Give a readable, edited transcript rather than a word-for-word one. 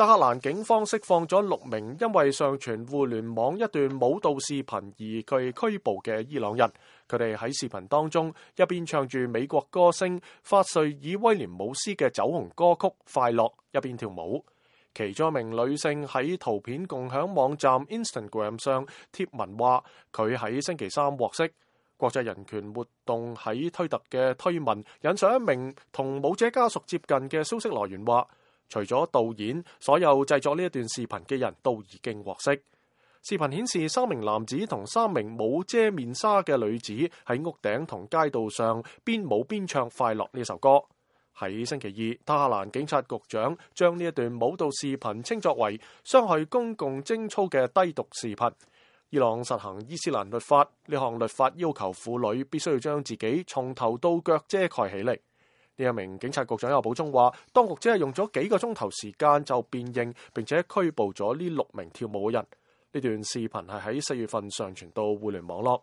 德黑蘭警方釋放咗6名因為上傳互聯網一段舞蹈視頻而被拘捕嘅伊朗人。佢哋喺視頻當中一邊唱住美國歌星法瑞爾威廉姆斯嘅走紅歌曲《快樂》，一邊跳舞。其中一名女性喺圖片共享網站 Instagram 上貼文話，佢喺星期三獲釋。國際人權活動喺推特嘅推文引述一名同舞者家屬接近嘅消息來源話，除咗導演，所有製作呢一段視頻嘅人都已經獲釋。視頻顯示3名男子同3名冇遮面紗嘅女子喺屋頂同街道上邊舞邊唱《快樂》呢首歌。喺星期二，德黑蘭警察局長將呢一段舞蹈視頻稱作為傷害公共貞操嘅低毒視頻。伊朗實行伊斯蘭律法，呢項律法要求婦女必須要將自己從頭到腳遮蓋起嚟。呢一名警察局長又補充話，當局只係用咗幾個鐘頭時間就辨認並且拘捕咗呢6名跳舞嘅人。呢段視頻係喺4月份上傳到互聯網絡。